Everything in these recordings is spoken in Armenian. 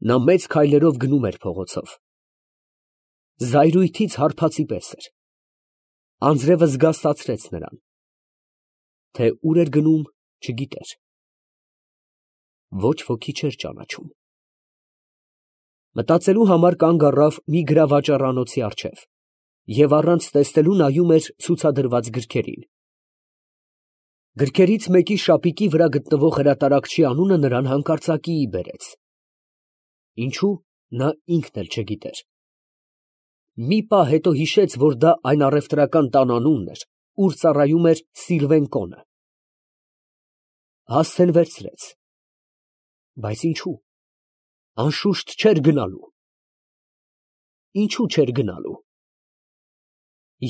Նա մեծ քայլերով գնում էր փողոցով։ Զայրույթից հարբածի պես էր։ Անձրևը զգաստացրեց նրան, թե ուր էր գնում, չգիտեր։ Ոչ ոքի չէր ճանաչում։ Մտածելու համար կանգ առավ մի գրավաճառանոցի առջև և առանց տեսնելու նայում էր ցուցադրված գրքերին։ Գրքերից մեկի շապիկի վրա գտնվող հրատարակչի անունը նրան հանկարծակիի բերեց։ Ինչու, նա ինքն էլ չգիտեր։ Մի պահ հետո հիշեց, որ դա այն առևտրական տան անունն էր, ուր ծառայում էր Սիլվեն Կոնը։ Հասցեն վերցրեց։ Բայց ինչու։ Անշուշտ չէր գնալու։ Ինչու չէր գնալու։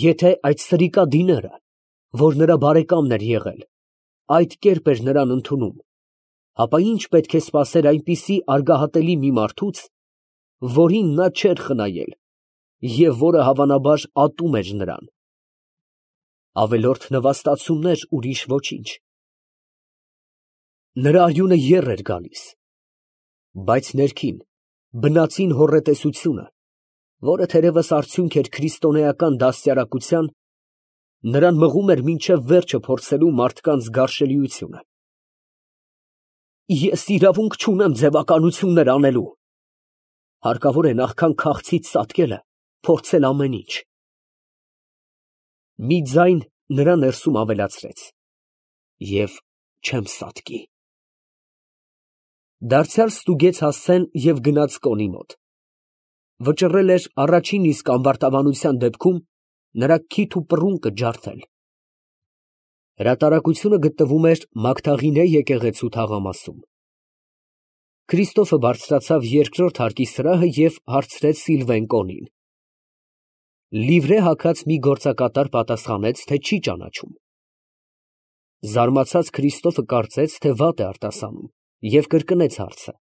Եթե այդ սրիկադիները, որ նրա բարեկամն էր եղել, այդ կերպ էր նրան ընդունում, ապա ինչ պետք է սպասեր այնպիսի արգահատելի մի մարդուց, որին նա չէր խնայել և որը հավանաբար ատում էր նրան։ Ավելորդ նվաստացումներ, ուրիշ ոչինչ։ Նրա արյունը եռ էր գալիս, բայց ներքին, բնածին հոռետեսությունը, որը թերևս արդյունք էր քրիստոնեական դաստիարակության, նրան մղում էր մինչև վերջը փորձելու մարդկանց գարշելիությունը։ Ես իրավունք չունեմ ձևականություններ անելու։ Հարկավոր է նախքան քաղցից ծածկելը փորձել ամեն ինչ։ Մի ձայն նրա ներսում ավելացրեց. և չեմ սատկի։ Դարձյալ ստուգեց հասցեն և գնաց Կոնի մոտ։ Վճռել էր առաջին իսկ ամբարտավանության դեպքում նրա քիթ ու պռունկը ջարդել։ Հրատարակությունը գտնվում էր Մագդաղինե եկեղեցու թաղամասում։ Քրիստոֆը բարձրացավ երկրորդ հարկի սրահը և հարցրեց Սիլվեն Կոնին։ Լիվրե հագած մի գործակատար պատասխանեց, թե չի ճանաչում։ Զարմացած Քրիստոֆը կարծեց, թե վատ է արտասանում և կրկնեց հարցը։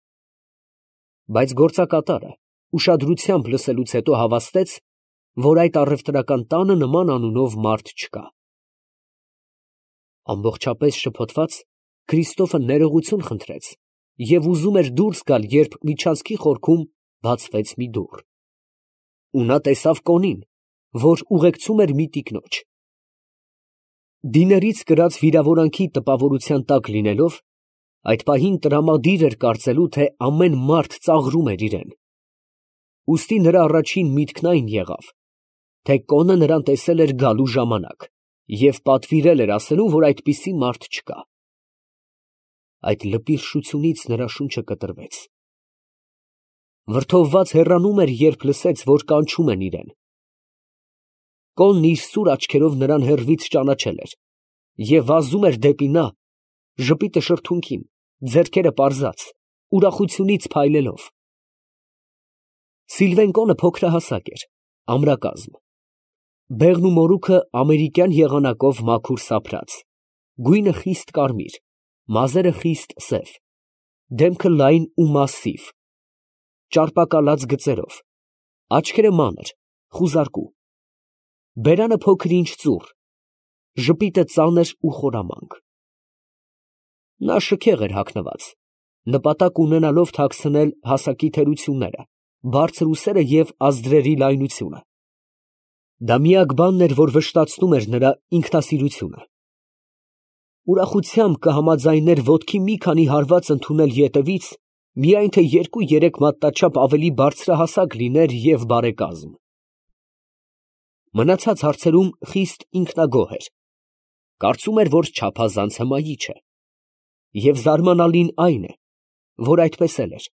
Բայց գործակատարը ուշադրությամբ լսելուց հետո հավաստեց, որ այդ առևտրական տանը նման անունով մարդ չկա։ Ամբողջապես շփոթված, Քրիստոֆը ներողություն խնդրեց և ուզում էր դուրս գալ, երբ միջանցքի խորքում բացվեց մի դուռ, ու նա տեսավ Կոնին, որ ուղեկցում էր մի տիկնոջ։ Դիներից կրած վիրավորանքի տպավորության տակ լինելով, այդ պահին տրամադիր էր կարծելու, թե ամեն մարդ ծաղրում էր իրան։ Ուստի նրա առաջին միտքն այն եղավ, թե Կոնը նրան տեսել էր գալու ժամանակ և պատվիրել էր ասելու, որ այդպիսի մարդ չկա։ Այդ լպիրշությունից նրա շունչը կտրվեց։ Վրդովված հեռանում էր, երբ լսեց, որ կանչում են իրան։ Կոնն իր սուր աչքերով նրան հեռվից ճանաչել էր և վազում էր դեպի նա, ժպիտը շրթունքին, ձեռքերը պարզած, ուրախությունից փայլելով։ Սիլվեն Կոնը փոքրահասակ էր, ամրակազմ։ Բեղն ու մորուքը ամերիկյան եղանակով մաքուր սափրած, գույնը խիստ կարմիր, մազերը խիստ սև, դեմքը լայն ու մասսիվ, ճարպակալած գծերով, աչքերը մանր, խուզարկու, բերանը փոքր-ինչ ծուռ, ժպիտը ծանր ու խորամանկ։ Նա շքեղ էր հագնված, նպատակ ունենալով թաքցնել հասակի թերությունները, բարձր ուսերը և ազդրերի լայնությունը։ Դա միակ բանն էր, որ վշտացնում էր նրա ինքնասիրությունը։ Ուրախությամբ կհամաձայներ ոտքի մի քանի հարված ընդունել ետևից, միայն թե 2-3 մատնաչափ ավելի բարձրահասակ լիներ և բարեկազմ։ Մնացած հարցերում խիստ ինքնագոհ էր, կարծում էր, որ չափազանց հմայիչ է, և զարմանալին այն է, որ այդպես էլ էր։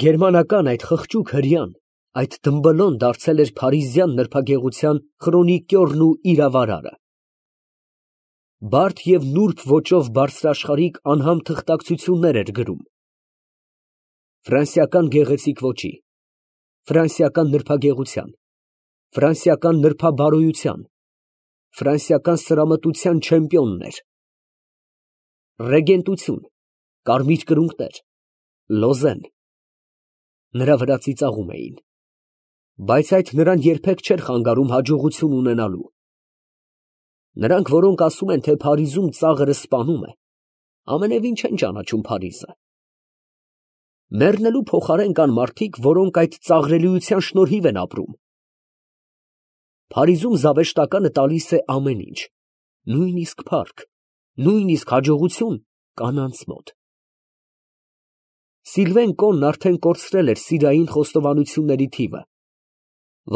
Գերմանական այդ խղճուկ հրեան, այդ դմբլոն դարձել էր փարիզյան նրբագեղության խրոնիկյորն ու իրավարարը։ Բարդ և նուրբ ոճով բարձրաշխարհիկ անհամ թղթակցություններ էր գրում ֆրանսիական գեղեցիկ ոճի, ֆրանսիական նրբագեղության, ֆրանսիական նրբաբարոյության, ֆրանսիական սրամտության չեմպիոնն էր։ Ռեգենտություն, կարմիր կրունկներ, լոզեն նրա վրա ծիծաղում էին, բայց այդ նրան երբեք չէր խանգարում հաջողություն ունենալու։ Նրանք, որոնք ասում են, թե Փարիզում ծաղրը սպանում է, ամենևին չեն ճանաչում Փարիզը։ Մեռնելու փոխարեն կան մարդիկ, որոնք այդ ծաղրելիության շնորհիվ են ապրում։ Փարիզում զավեշտականը տալիս է ամեն ինչ, նույնիսկ փառք, նույնիսկ հաջողություն կանանց մոտ։ Սիլվեն Կոնն արդեն կորցրել էր սիրային խոստովանությունների թիվը,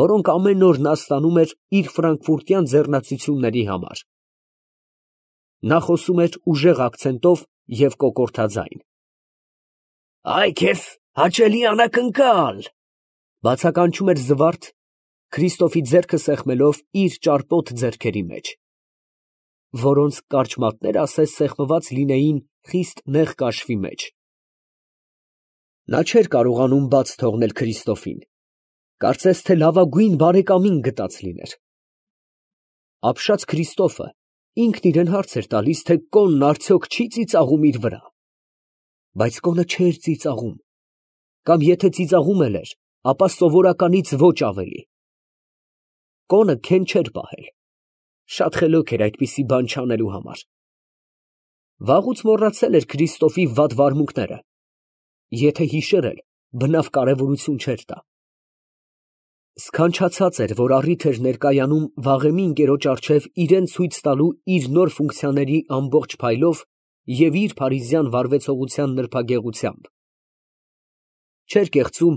որոնք ամեն օր նա ստանում էր իր ֆրանկֆուրտյան ձեռնացությունների համար։ Նա խոսում էր ուժեղ ակցենտով և կոկորդաձայն։ «Այ քեզ հաճելի անակնկալ», բացականչում էր զվարթ, Քրիստոֆի ձեռքը սեղմելով իր ճարպոտ ձեռքերի մեջ, որոնց կարճ մատները ասես սեղմված լինեին խիստ նեղ կաշվի մեջ։ Նա չէր կարողանում բաց թողնել Քրիստոֆին, կարծես թե լավագույն բարեկամին գտած լիներ։ Ապշած Քրիստոֆը ինքն իրան հարց էր տալիս, թե Կոնն արդյոք չի ծիծաղում իր վրա։ Բայց Կոնը չէր ծիծաղում, կամ եթե ծիծաղում էլ էր, ապա սովորականից ոչ ավելի։ Կոնը քեն չէր պահել, շատ խելոք էր այդպիսի բան չանելու համար։ Վաղուց մոռացել էր Քրիստոֆի վատ վարմունքները, եթե հիշեր էլ, բնավ կարևորություն չէր տա։ Սքանչացած էր, որ առիթ էր ներկայանում վաղեմի ընկերոջ առջև իրեն ցույց տալու իր նոր ֆունկցիաների ամբողջ փայլով և իր փարիզյան վարվեցողության նրբագեղությամբ։ Չէր կեղծում,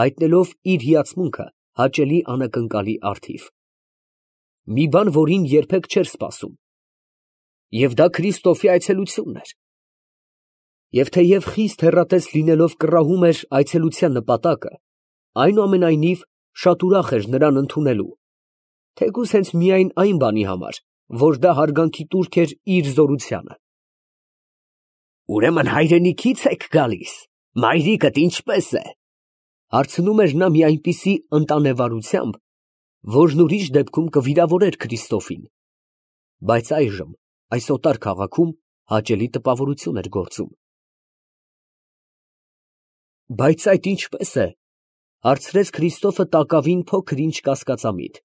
հայտնելով իր հիացմունքը հաճելի անակնկալի առթիվ։ Մի բան, որին երբեք չէր սպասում։ Եվ դա Քրիստոֆի այցելությունն էր։ Եվ թեև խիստ հեռատես լինելով կռահում էր այցելության նպատակը, այնուամենայնիվ շատ ուրախ էր նրան ընդունելու, թեկուզ հենց միայն այն բանի համար, որ դա հարգանքի տուրք էր իր զորությանը։ «Ուրեմն հայրենիքի՞ց եք գալիս, մայրիկդ ինչպե՞ս է», հարցնում էր նա մի այնպիսի ընտանեվարությամբ, որն ուրիշ դեպքում կվիրավորեր Քրիստոֆին, բայց այժմ այս օտար քաղաքում հաճելի տպավորություն էր գործում։ «Բայց այդ ինչպե՞ս է», հարցրեց Քրիստոֆը տակավին փոքր ինչ կասկածամիտ,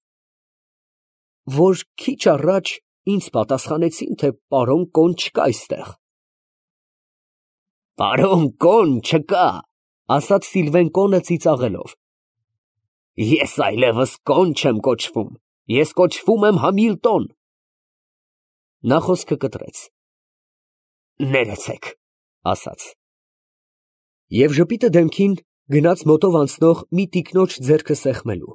«որ քիչ առաջ ինձ պատասխանեցին, թե պարոն Կոն չկա այստեղ»։ «Պարոն Կոն չկա», ասաց Սիլվեն Կոնը ծիծաղելով։ «Ես այլևս Կոն չեմ կոչվում, ես կոչվում եմ Համիլտոն»։ Նա խոսքը կտրեց։ «Ներեցեք», ասաց։ Եվ ժպիտը դեմքին գնաց մոտով անցնող մի տիկնոջ ձեռքը սեղմելու։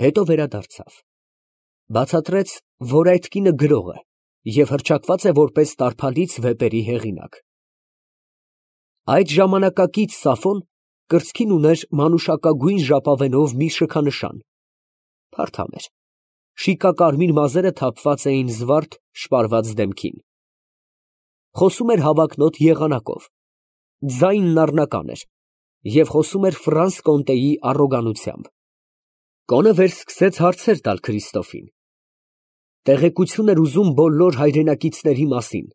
Հետո վերադարձավ, բացատրեց, որ այդ կինը գրող է և հռչակված է որպես տարփալից վեպերի հեղինակ։ Այդ ժամանակակից Սաֆոն կրծքին ուներ մանուշակագույն ժապավենով մի շքանշան, փարթամ էր, շիկակարմիր մազերը թափված էին զվարթ շպարված դեմքին։ Խոսում էր հավակնոտ եղանակով, ձայնն առնական էր և խոսում էր Ֆրանս Կոնտեի առոգանությամբ։ Կոնը վերսկսեց հարցեր տալ Քրիստոֆին։ Տեղեկություն էր ուզում բոլոր հայրենակիցների մասին։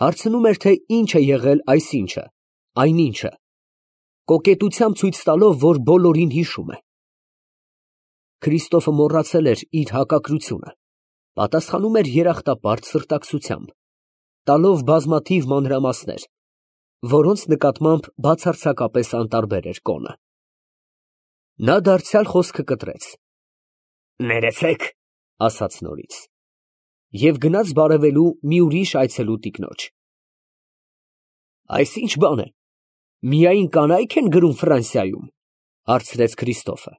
Հարցնում էր, թե ինչ է եղել այսինչը, այնինչը, կոկետությամբ ցույց տալով, որ բոլորին հիշում է։ Քրիստոֆը մոռացել էր իր հակակրությունը, պատասխանում էր երախտապարտ սրտակցությամբ, տալով բազմաթիվ մանրամասներ, որոնց նկատմամբ բացարձակապես անտարբեր էր Կոնը։ Նա դարձյալ խոսքը կտրեց։ «Ներեցեք», ասաց նորից, և գնաց բարևելու մի ուրիշ այցելու տիկնոջ։ «Այս ի՞նչ բան է, միայն կանայք են գրում Ֆրանսիայում», հարցրեց Քրիստոֆը։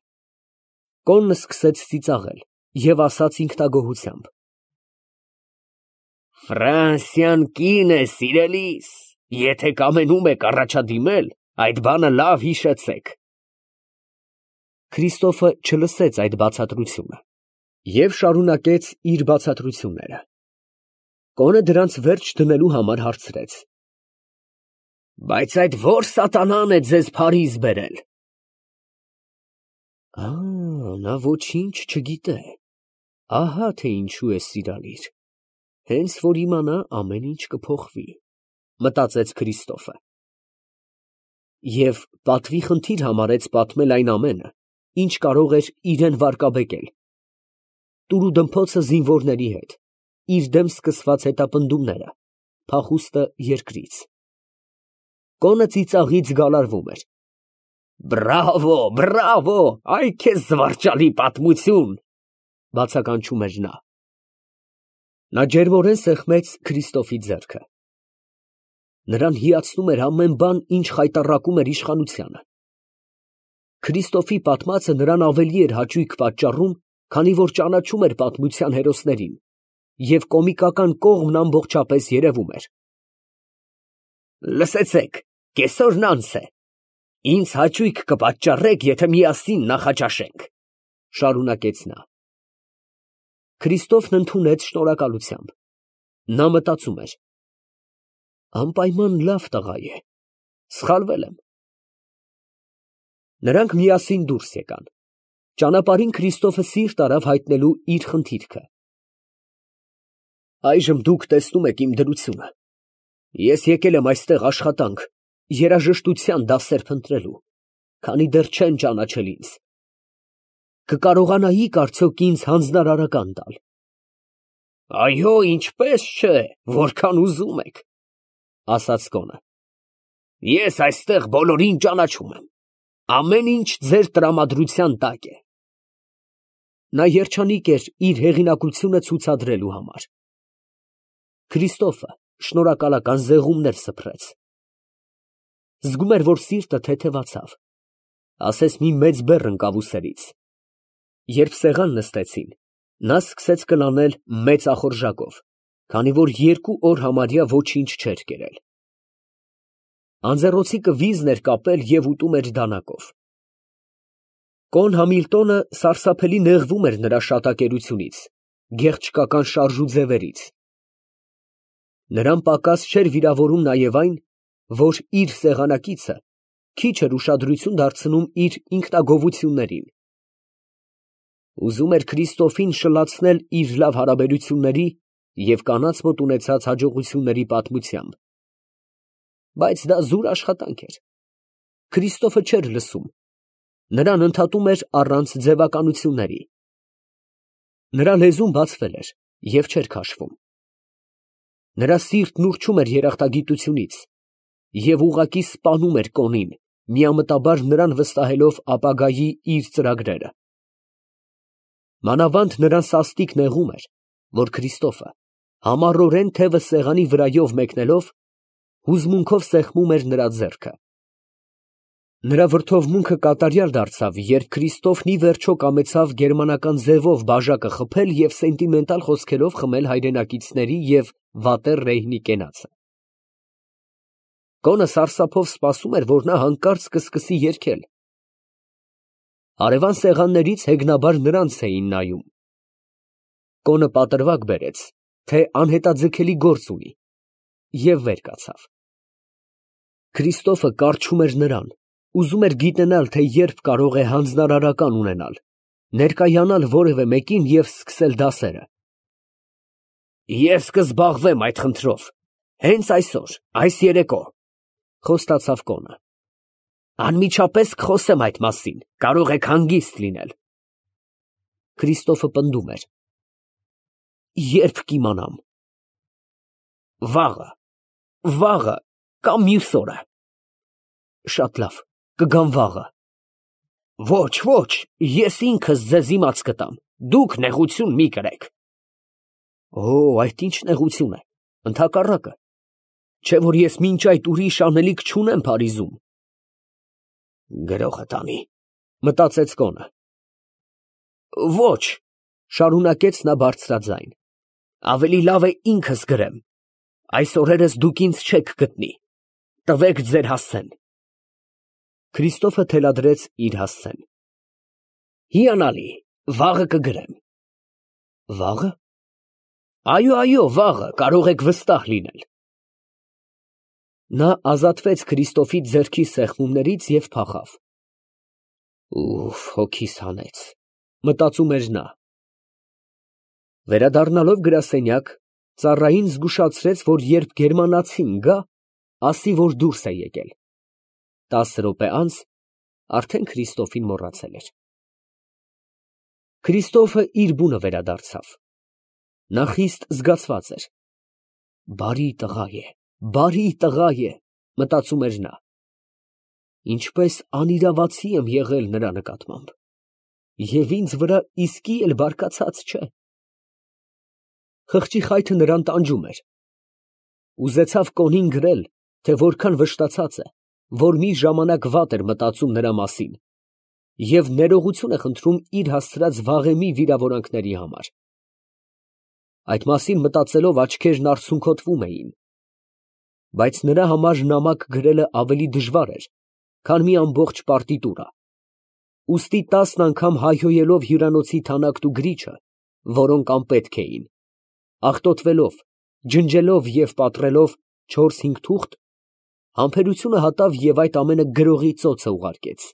Կոնն սկսեց ծիծաղել և ասաց ինքնագոհությամբ. «Ֆրանսիան կին է, սիրելիս, եթե կամենում եք առաջադիմել, այդ բանը լավ հիշեցեք»։ Քրիստոֆը չլսեց այդ բացատրությունը և շարունակեց իր բացատրությունները։ Կոնը դրանց վերջ դնելու համար հարցրեց. «Բայց այդ ո՞ր սատանան է ձեզ Փարիզ բերել»։ Նա ոչինչ չգիտե, ահա թե ինչու է սիրալիր, հենց որ իմանա, ամեն ինչ կփոխվի, մտածեց Քրիստոֆը։ Եվ պատվի խնդիր համարեց պատմել այն ամենը, ինչ կարող էր իրան վարկաբեկել, տուրուդմփոցը զինվորների հետ, իր դեմ սկսված հետապնդումները, փախուստը երկրից։ Կոնը ծիծաղից գալարվում էր։ Բրավո, բրավո, այ քեզ զվարճալի պատմություն, բացականչում էր նա։ Նա ջերմորեն սեղմեց Քրիստոֆի ձեռքը։ Նրան հիացնում էր ամեն բան, ինչ խայտառակում էր իշխանությանը։ Քրիստոֆի պատմածը նրան ավելի էր հաճույք պատճառում, քանի որ ճանաչում էր պատմության հերոսներին, և կոմիկական կողմն ամբողջապես երևում էր։ Լսեցեք, կեսօրն անց է։ Ինձ հաճույք կպատճառեք, եթե միասին նախաճաշենք, շարունակեց նա։ Քրիստոֆն ընդունեց շնորհակալությամբ։ Նա մտածում էր. անպայման լավ տղա է, սխալվել եմ։ Նրանք միասին դուրս եկան։ Ճանապարհին Քրիստոֆը սիրտ արավ հայտնելու իր խնդիրքը։ Այժմ դուք տեսնում եք իմ դրությունը։ Ես եկել եմ այստեղ աշխատանք, երաժշտության դասեր փնտրելու, քանի դեռ չեն ճանաչել ինձ։ Կկարողանայիք արդյոք ինձ հանձնարարական տալ։ Այո, ինչպես չէ, որքան ուզում եք, ասաց կոնը։ Ես այստեղ բոլորին ճանաչում եմ։ Ամեն ինչ ձեր տրամադրության տակ է։ Նա երջանիկ էր իր հեղինակությունը ցուցադրելու համար։ Քրիստոֆը շնորհակալական զեղումներ սփռեց։ Զգում էր, որ սիրտը թեթևացավ, ասես մի մեծ բեռ ընկավ ուսերից։ Երբ սեղան նստեցին, նա սկսեց կլանել մեծ ախորժակով, քանի որ 2 օր համարյա ոչինչ չէր կերել։ Անձեռոցիկը վիզն էր կապել և ուտում էր դանակով։ Կոն Համիլտոնը սարսափելի նեղվում էր նրա շատակերությունից, գեղչկական շարժ ու ձևերից։ Նրան պակաս չէր վիրավորում նաև այն, որ իր սեղանակիցը քիչ էր ուշադրություն դարձնում իր ինքնագովություններին։ Ուզում էր Քրիստոֆին շլացնել իր լավ հարաբերությունների և կանանց մոտ ունեցած հաջողությունների պատմությամբ։ Բայց դա զուր աշխատանք էր։ Քրիստոֆը չէր լսում, նրան ընդհատում էր առանց ձևականությունների։ Նրա լեզուն բացվել էր և չէր քաշվում։ Նրա սիրտն ուռչում էր երախտագիտությունից և ուղղակի սպանում էր կոնին, միամտաբար նրան վստահելով ապագայի իր ծրագրերը։ Մանավանդ նրան սաստիկ նեղում էր, որ Քրիստոֆը համառորեն թևը սեղանի վրայով մեկնելով, հուզմունքով սեղմում էր նրա ձեռքը։ Նրա վրդովմունքը կատարյալ դարձավ, երբ Քրիստոֆն ի վերջո կամեցավ գերմանական ձևով բաժակը խփել և սենտիմենտալ խոսքերով խմել հայրենակիցների և վատեռ Ռեյնի կենացը։ Կոնը սարսափով սպասում էր, որ նա հանկարծ կսկսի երգել։ Հարևան սեղաններից հեգնաբար նրանց էին նայում։ Կոնը պատրվակ բերեց, թե անհետաձգելի գործ ունի, և վեր կացավ։ Քրիստոֆը կառչում էր նրան, ուզում էր գիտենալ, թե երբ կարող է հանձնարարական ունենալ, ներկայանալ որևէ մեկին և սկսել դասերը։ Ես կզբաղվեմ այդ խնդրով, հենց այսօր, այս երեկո, խոստացավ կոնը։ Անմիջապես կխոսեմ այդ մասին, կարող եք հանգիստ լինել։ Քրիստոֆը պնդում էր. Երբ կիմանամ։ Վաղը կամ մյուս օրը։ Շատ լավ, կգամ վաղը։ Ոչ, ես ինքս ձեզ իմաց կտամ, դուք նեղություն մի կրեք։ Օ, այդ ինչ նեղություն է, ընդհակառակը, չէ որ ես մինչ այդ ուրիշ անելիք չունեմ Փարիզում։ Գրողը տանի, մտածեց կոնը։ Ոչ, շարունակեց նա բարձրաձայն, ավելի լավ է ինքս գրեմ, այս օրերս դուք ինձ չեք գտնի, տվեք ձեր հասցեն։ Քրիստոֆը թելադրեց իր հասցեն։ Հիանալի, վաղը կգրեմ։ Վաղը։ Այո, վաղը, կարող եք վստահ լինել։ Նա ազատվեց Քրիստոֆի ձեռքի սեղմումներից և փախավ։ Ուֆ, հոգիս հանեց, մտածում էր նա։ Վերադառնալով գրասենյակ, ծառային զգուշացրեց, որ երբ գերմանացին գա, ասի, որ դուրս է եկել։ 10 րոպե անց արդեն Քրիստոֆին մոռացել էր։ Քրիստոֆը իր բունը վերադարձավ։ Նա խիստ զգացված էր։ Բարի տղա է։ Մտածում էր նա. ինչպես անիրավացի եմ եղել նրա նկատմամբ, և ինձ վրա իսկի էլ բարկացած չէ։ Խղճի խայթը նրան տանջում էր։ Ուզեցավ կոնին գրել, թե որքան վշտացած է, որ մի ժամանակ վատ էր մտածում նրա մասին, և ներողություն է խնդրում իր հասցրած վաղեմի վիրավորանքների համար։ Այդ մասին մտածելով աչքերն արցունքոտվում էին, բայց նրա համար նամակ գրելը ավելի դժվար էր, քան մի ամբողջ պարտիտուրա, ուստի 10 անգամ հայհոյելով հյուրանոցի թանաքն ու գրիչը, որոնք անպետք էին, աղտոտվելով, ջնջելով և պատռելով 4-5 թուղթ, համբերությունը հատավ և այդ ամենը գրողի ծոցը ուղարկեց։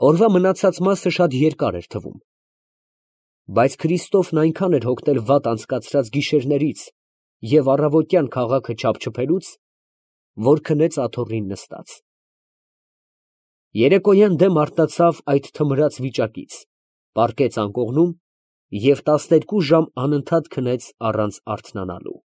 Օրվա մնացած մասը շատ երկար էր թվում, բայց Քրիստոֆն այնքան էր հոգնել վատ անցկացրած գիշերներից և առավոտյան քաղաքը չափչփելուց, որ քնեց աթոռին նստած։ Երեկոյան դեմ արթնացավ այդ թմրած վիճակից, պառկեց անկողնում և 12 ժամ անընդհատ քնեց առանց արթնանալու։